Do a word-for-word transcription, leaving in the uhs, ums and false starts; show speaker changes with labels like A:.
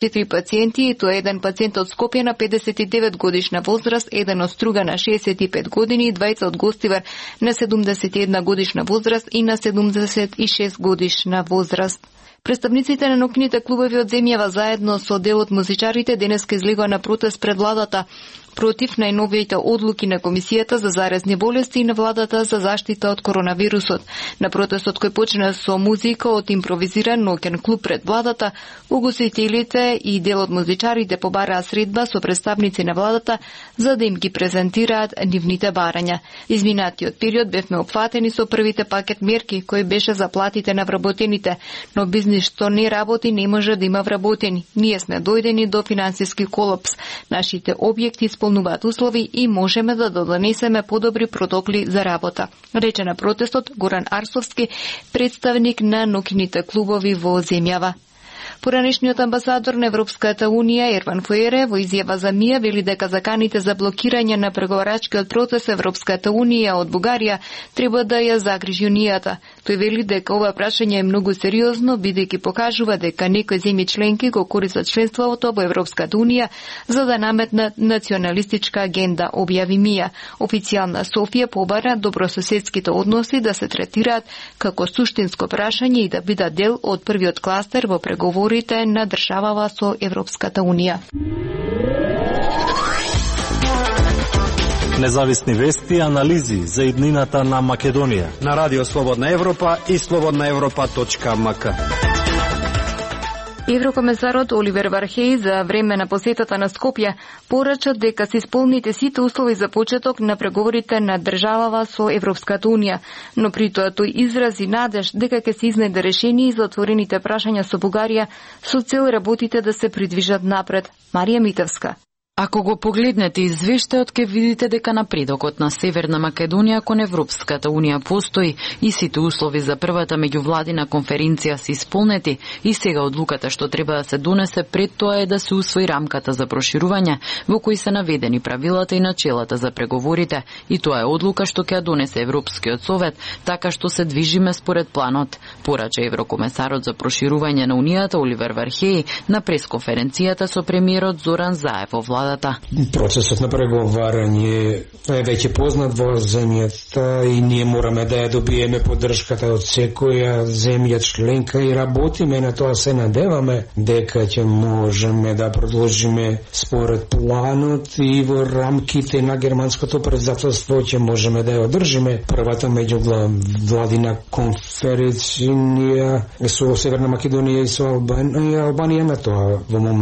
A: четири пациенти, и тоа еден пациент од Скопје на педесет и девет годишна возраст, еден од Струга на шеесет и пет години, двајца од Гостивар на седумдесет и една годишна возраст и на седумдесет и шест годишна возраст. Представниците на наукните клубови од земјава заедно со дел од музичарите денеска излегоа на протест пред владата против најновите одлуки на Комисијата за заразни болести и на владата за заштита од коронавирусот. На протестот кој почна со музика од импровизиран ноќен клуб пред владата, угостителите и дел од музичарите побараа средба со представници на владата за да им ги презентираат нивните барања. Изминатиот период бевме опфатени со првите пакет мерки кои беше за платите на вработените, но бизнис што не работи не може да има вработени. Ние сме дојдени до финансиски колапс. Нашите објекти исполнуваат услови и можеме да донесеме подобри протоколи за работа, рече на протестот Горан Арсовски, представник на наукните клубови во земјава. Поранешниот амбасадор на Европската Унија Ерван Фуере во изјава за МИА вели дека заканите за блокирање на преговарачкиот процес Европската Унија од Бугарија треба да ја загрижи Унијата. Тој вели дека ова прашање е многу сериозно, бидејќи покажува дека некои земји членки го користат членството во Европската Унија за да наметнат националистичка агенда, објави МИА. Официјална Софија побара добрососедските односи да се третираат како суштинско прашање и да бидат дел од првиот кластер во преговори на државава со Европската Унија.
B: Независни вести и анализи за иднината на Македонија
C: на Радио Слободна Европа и слободна европа точка ем ка.
A: Еврокомесарот Оливер Вархеј за време на посетата на Скопје порача дека се исполните сите услови за почеток на преговорите на државава со Европската Унија, но при тоа тој изрази надеж дека ќе се изнајде решение за отворените прашања со Бугарија со цел работите да се придвижат напред. Марија Митевска.
D: Ако го погледнете извештајот, ќе видите дека напредокот на Северна Македонија кон Европската Унија постои и сите услови за првата меѓувладина конференција се исполнети и сега одлуката што треба да се донесе пред тоа е да се усвои рамката за проширување во кој се наведени правилата и начелата за преговорите, и тоа е одлука што ќе ја донесе Европскиот совет, така што се движиме според планот, порача еврокомесарот за проширување на Унијата Оливер Вархеј на пресконференцијата со премиерот Зоран Заев во владата.
E: Процесот на преговарање е веќе познат во земјата и ние мораме да ја добиеме поддршката од секоја земја членка и работиме на тоа, се надеваме дека ќе можеме да продолжиме според планот и во рамките на германското председателство ќе можеме да ја одржиме првата меѓувладина конференција со Северна Македонија и со Албанија, Албанија на тоа во момент